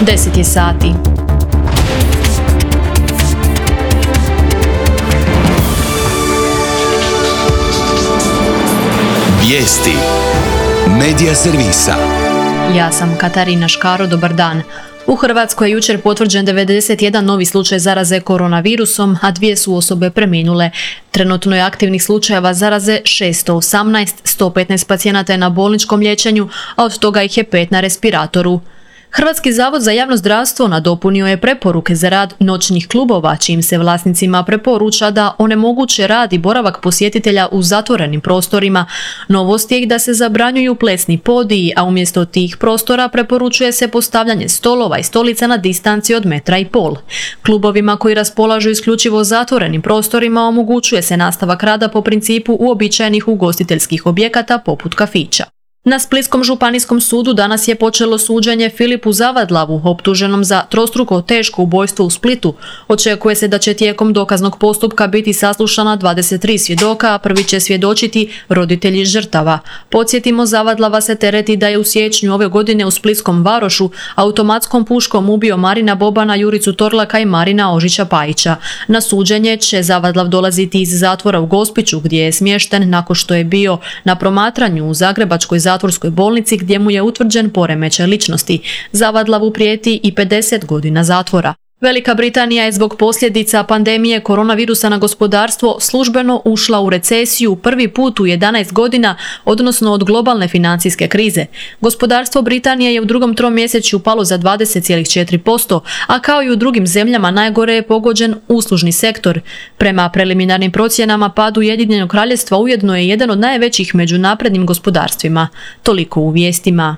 10 je sati. Vijesti Medija servisa. Ja sam Katarina Škaro, dobar dan. U Hrvatskoj je jučer potvrđen 91 novi slučaj zaraze koronavirusom, a 2 su osobe preminule. Trenutno je aktivnih slučajeva zaraze 618, 115 pacijenata je na bolničkom liječenju, a od toga ih je 5 na respiratoru. Hrvatski zavod za javno zdravstvo nadopunio je preporuke za rad noćnih klubova, čijim se vlasnicima preporuča da onemoguće rad i boravak posjetitelja u zatvorenim prostorima. Novost je da se zabranjuju plesni podiji, a umjesto tih prostora preporučuje se postavljanje stolova i stolica na distanci od 1,5 metra. Klubovima koji raspolažu isključivo zatvorenim prostorima omogućuje se nastavak rada po principu uobičajenih ugostiteljskih objekata poput kafića. Na Splitskom županijskom sudu danas je počelo suđenje Filipu Zavadlavu, optuženom za trostruko teško ubojstvo u Splitu. Očekuje se da će tijekom dokaznog postupka biti saslušana 23 svjedoka, a prvi će svjedočiti roditelji žrtava. Podsjetimo, Zavadlava se tereti da je u siječnju ove godine u Splitskom Varošu automatskom puškom ubio Marina Bobana, Juricu Torlaka i Marina Ožića Pajića. Na suđenje će Zavadlav dolaziti iz zatvora u Gospiću, gdje je smješten nakon što je bio na promatranju u Zagrebačkoj zatvorskoj bolnici, gdje mu je utvrđen poremećaj ličnosti. Zavadlavu prijeti i 50 godina zatvora. Velika Britanija je zbog posljedica pandemije koronavirusa na gospodarstvo službeno ušla u recesiju prvi put u 11 godina, odnosno od globalne financijske krize. Gospodarstvo Britanije je u drugom tromjesečju palo za 20,4%, a kao i u drugim zemljama najgore je pogođen uslužni sektor. Prema preliminarnim procjenama, pad Ujedinjenog Kraljevstva ujedno je jedan od najvećih među naprednim gospodarstvima. Toliko u vijestima.